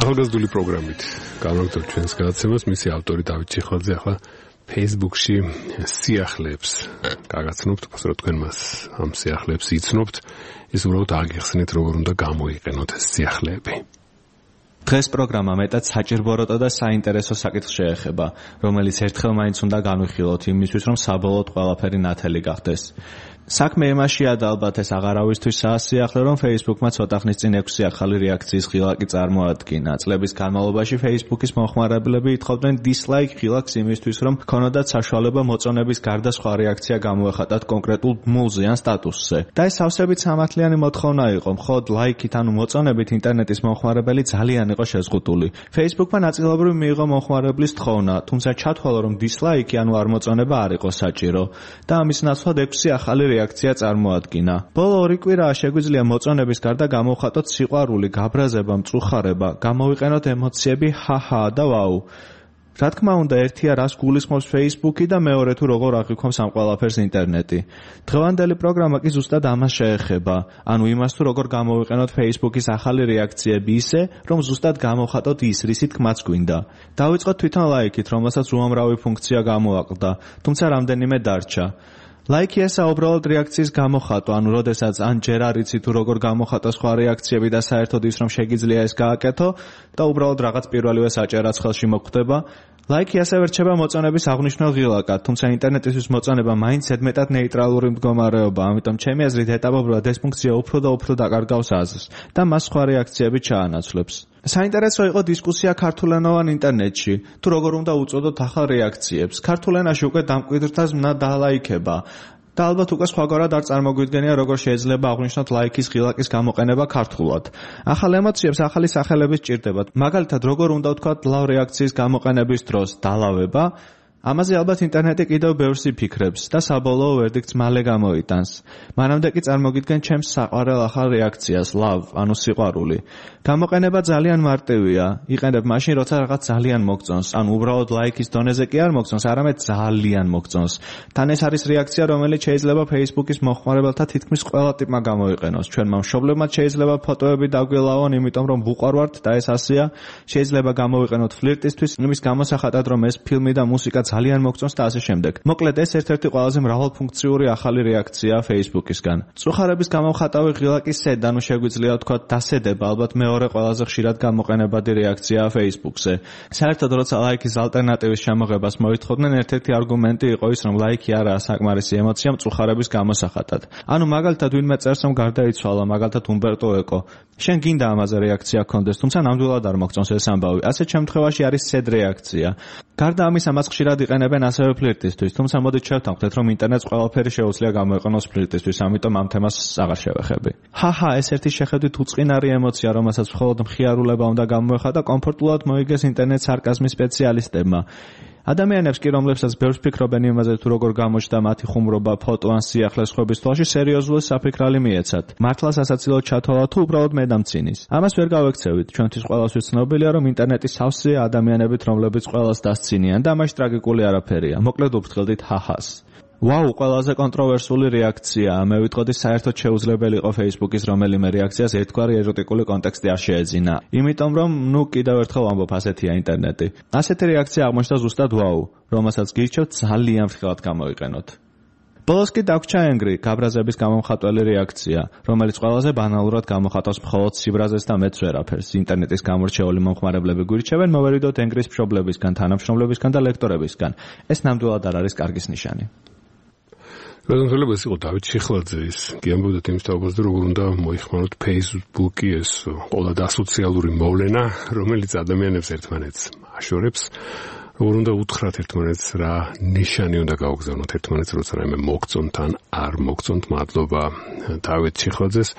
ახალგაზრდული პროგრამით განვაგრძობთ ჩვენს გადაცემას, მისი ავტორი დავით ჩიხლაძე ახლა Facebook-ში სიახლეებს გაგაცნობთ, უბრალოდ თქვენ მას ამ სიახლეებს იცნობთ, ის უბრალოდ აგიხსნით როგორ უნდა გამოიყენოთ ეს სიახლეები. დღეს პროგრამა მეტად საჭირბოროტო და საინტერესო საკითხს შეეხება, რომელიც ერთხელ მაინც უნდა განვიხილოთ იმისთვის, რომ საბოლოოდ ყველაფერი ნათელი გახდეს. საქმე იმაშია და ალბათ ეს აღარავისთვის საასიახლე, რომ Facebook-მა ცოტა ხნის წინ 6 ახალი რეაქციის ღილაკი წარმოადგინა. წლების განმავლობაში Facebook-ის მომხმარებლები ითხოვდნენ dislike ღილაკს იმისთვის, რომ ქონოდათ საშუალება მოწონების გარდა სხვა რეაქცია გამოეხატათ კონკრეტულ ბმულზე ან სტატუსზე. და ეს სავსებით სამართლიანი მოთხოვნა იყო, მხოლოდ ლაიქით ანუ მოწონებით ინტერნეტის მომხმარებელი ძალიან იყო შეზღუდული. Facebook-მა ნაწილობრივ მიიღო მომხმარებლის თხოვნა, თუმცა ჩათვალა, რომ dislike ანუ არ მოწონება არ იყო საჭირო და ამის ნაცვლად 6 ახალი რეაქცია წარმოადგინა. ბოლო 2 კვირაა შეგვიძლია მოწონების გარდა გამოვხატოთ სიყვარული, გაბრაზება, მწუხარება, გამოვიყენოთ ემოციები ჰაჰა და ვაუ. რა თქმა უნდა, ერთია რას გულისხმობს Facebook-ი და მეორე თუ როგორ აღიქვამს ამ ყველაფერს ინტერნეტი. დღევანდელი პროგრამა კი ზუსტად ამას შეეხება, ანუ იმას თუ როგორ გამოვიყენოთ Facebook-ის ახალი რეაქციები ისე, რომ ზუსტად გამოვხატოთ ის, რისი თქმაც გვინდა. დავიწყოთ თვითონ ლაიქით, რომელსაც უამრავი ფუნქცია გამოაკლდა, თუმცა რამდენიმე დარჩა. ლაიქი ესა უბრალოდ რეაქციის გამოხატვა, ანუ როდესაც ან ჯერ არ იცი თუ როგორ გამოხატო სხვა რეაქციები და საერთოდ ის რომ შეგიძლია ეს გააკეთო და უბრალოდ რაღაც პირველივე საჭერაც ხელში მოხვდება. ლაიქი ასევე რჩება მოწონების აღნიშნულ ღილაკად, თუმცა ინტერნეტისთვის მოწონება მაინც ზედმეტად ნეიტრალური მდგომარეობა, ამიტომ ჩემი აზრით ეტაპობრივად ეს ფუნქცია უფრო და უფრო დაკარგავს აზრს და მას სხვა რეაქციები ჩაანაცვლებს. საინტერესო იყო დისკუსია ქართულენოვან ინტერნეტში, თუ როგორ უნდა უწოდოთ ახალ რეაქციებს. ქართულ ენაში უკვე დამკვიდრთას მნა დალაიქება. და ალბათ უკვე სხვაგვარად არ წარმოგვიდგენია, როგორ შეიძლება აღვნიშნოთ ლაიქის ღილაკის გამოყენება ქართულად. ახალ ემოციებს ახალი სახელები სჭირდებათ. მაგალითად, როგორ უნდა ვთქვათ ლავ რეაქციის გამოყენების დროს დალავება, ამაზე ალბათ ინტერნეტი კიდევ ბევრს იფიქრებს და საბოლოო ვერდიქტს მალე გამოიტანს. მანამდე კი წარმოგიდგენ ჩემს საყვარელ ახალ რეაქციას, love, ანუ სიყვარული. გამოყენება ძალიან მარტივია. იყენებ მაშინ, როცა რაღაც ძალიან მოგწონს, ანუ უბრალოდ ლაიქის დონეზე კი არ მოგწონს, არამედ ძალიან მოგწონს. თან ეს არის რეაქცია, რომელიც შეიძლება Facebook-ის მომხმარებელთა თითქმის ყველა ტიპმა გამოიყენოს. ჩვენმა მშობლებმა შეიძლება ფოტოები დაგვილავონ, იმიტომ რომ ვუყვარვართ და ეს ასეა. შეიძლება გამოვიყენოთ ფლირტისთვის, იმის გამოსახატად, რომ ეს ფილმი და მუსიკა ძალიან მოგწონს და ასე შემდეგ. მოკლედ ეს ერთ-ერთი ყველაზე მრავალფუნქციური ახალი რეაქციაა Facebook-ისგან. მწუხარების გამოვხატავი ღილაკის სედა, ანუ შეგვიძლია ვთქვათ დასედება, ალბათ მეორე ყველაზე ხშირად გამოყენებადი რეაქციაა Facebook-ზე. საერთოდ როცა ლაიქის ალტერნატივის შემოღებას მოითხოვდნენ, ერთ-ერთი არგუმენტი იყო ის, რომ ლაიქი არაა საკმარისი ემოცია მწუხარების გამოსახატად. ანუ მაგალითად ვინმე წერს, რომ გარდაიცვალა, მაგალითად უმბერტო ეკო. შენ გინდა ამაზე რეაქცია გქონდეს, თუმცა ნამდვილად არ მოგწონს ეს ამბავი. ასეთ შემთხვევაში არის სედ რეაქცია. გარდა ამისა, მას ხშირად იყენებენ ასევე ფლირტისთვის, თუმცა მოდით შევთანხმდეთ, რომ ინტერნეტს ყველაფერი შეუძლია გამოიყენოს ფლირტისთვის, ამიტომ ამ თემას აღარ შევეხები. ჰაჰა, ეს ერთი შეხედვით უწყინარი ემოცია, რომელსაც მხოლოდ მხიარულება უნდა გამოეხატა, კომფორტულად მოიგეს ინტერნეტ სარკაზმის სპეციალისტებმა. ადამიანებს კი, რომლებსაც ბევრს ფიქრობენ იმაზე, თუ როგორ გამოჩნდა მათი ხუმრობა, ფოტო ან სიახლე სხვების თვალში, სერიოზული საფიქრალი მიეცათ. მართლა სასაცილოდ ჩათვალა თუ უბრალოდ მედამცინის. ამას ვერ გავექცევით. ჩვენთვის ყველასთვის ცნობილია, რომ ინტერნეტი სავსეა ადამიანებით, რომლებიც ყველას დასცინიან და ამაში ტრაგიკული არაფერია. მოკლედ ვფრთხილდით ჰაჰას. ვაუ, ყველაზე კონტროვერსული რეაქცია. მე ვიტყოდი, საერთოდ შეუძლებელი იყო Facebook-ის რომელიმე რეაქციას ერთგვარი ეროტიკული კონტექსტი არ შეეძინა. იმიტომ რომ, კიდევ ერთხელ ვამბობ, ასეთია ინტერნეტი. ასეთი რეაქცია აღმოჩნდა ზუსტად ვაუ, რომელსაც გირჩევთ ძალიან ფრთხილად გამოიყენოთ. ბოლოს კი დაგვრჩა Angry, გაბრაზების გამომხატველი რეაქცია, რომელიც ყველაზე ბანალურად გამოხატავს მხოლოდ სიბრაზეს და მეც ვერაფერს. ინტერნეტის გამორჩეული მომხმარებლები გვირჩევენ, მოვერიდოთ Angry-ს მშობლებისგან, თანამშრომლებისგან და ლექტორებისგან. ეს ნამდვილად არ არის კარგის ნიშანი. რადგან ეს იყო დავით ჩიხლაძის, კი ამბობდით იმის თაობას და როგორ უნდა მოიხმაროთ Facebook-ი ეს ყველა ასოციალური მოვლენა, რომელიც ადამიანებს ერთმანეთს აშორებს, როგორ უნდა უთხრათ ერთმანეთს, რა ნიშანი უნდა გაუგზავნოთ ერთმანეთს, როცა რაიმე მოგწონთ ან არ მოგწონთ. მადლობა დავით ჩიხლაძეს.